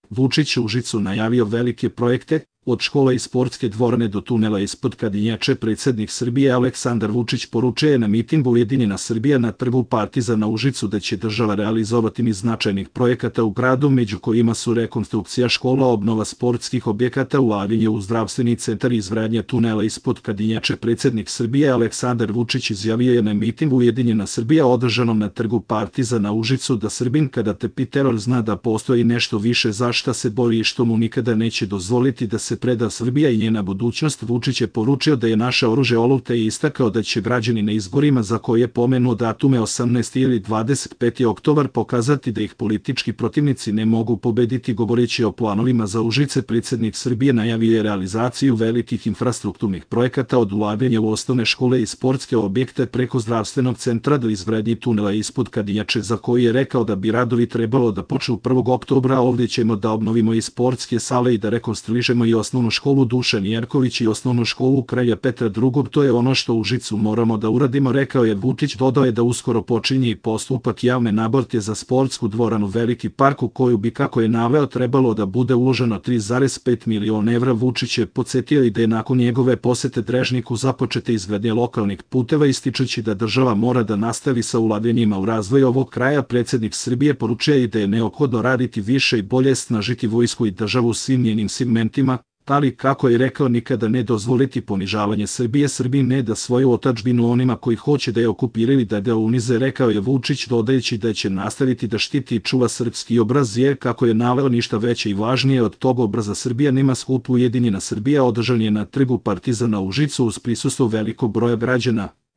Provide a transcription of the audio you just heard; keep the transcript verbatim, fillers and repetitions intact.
Vučić u Užicu najavio velike projekte, od škole i sportske dvorane do tunela ispod Kadinjače. Predsjednik Srbije Aleksandar Vučić poručuje na mitingu Ujedinjena Srbija na trgu Partizana u Užicu da će država realizovati niz značajnih projekata u gradu, među kojima su rekonstrukcija škola, obnova sportskih objekata, ulaganje u zdravstveni centar i izgradnja tunela ispod Kadinjače. Predsjednik Srbije Aleksandar Vučić izjavio je na mitingu Ujedinjena Srbija održanom na trgu Partizana u Užicu da Srbin kada trpi teror zna da postoji nešto više za šta se bori i što mu nikada neće dozvoliti da se preda Srbija i njena budućnost. Vučić je poručio da je naše oružje oluta i istakao da će građani na izborima za koje je pomenuo datume osamnaesti ili dvadeset peti oktobar pokazati da ih politički protivnici ne mogu pobediti. Govoreći o planovima za Užice, predsjednik Srbije najavio je realizaciju velikih infrastrukturnih projekata, od ulaganja u osnovne škole i sportske objekte preko zdravstvenog centra do izgradnje tunela ispod Kadinjače, za koji je rekao da bi radovi trebalo da počnu prvog oktobra. Ovdje ćemo da obnovimo i sportske sale i da rekonstruišemo i osnovnu školu Dušan Jerković i osnovnu školu Kralja Petra drugog. To je ono što u Užicu moramo da uradimo, rekao je Vučić. Dodao je da uskoro počinje i postupak javne nabavke za sportsku dvoranu Veliki park, u koju bi, kako je naveo, trebalo da bude uloženo tri zarez pet miliona evra. Vučić je podsjetio i da je nakon njegove posete Drežniku započete izgradnje lokalnih puteva, ističući da država mora da nastavi sa ulaganjima u razvoj ovog kraja. Predsjednik Srbije poručuje i da je neophodno raditi više i bolje, snažiti vojsku i državu u svim njenim segmentima, ali, kako je rekao, nikada ne dozvoliti ponižavanje Srbije. Srbiji ne da svoju otadžbinu onima koji hoće da je okupiraju, da ga unize, rekao je Vučić, dodajući da će nastaviti da štiti i čuva srpski obraz, jer, kako je naveo, ništa veće i važnije od tog obraza Srbija nema. Skup Ujedinjena Srbija održan je na trgu Partizana u Užicu uz prisustvo velikog broja građana.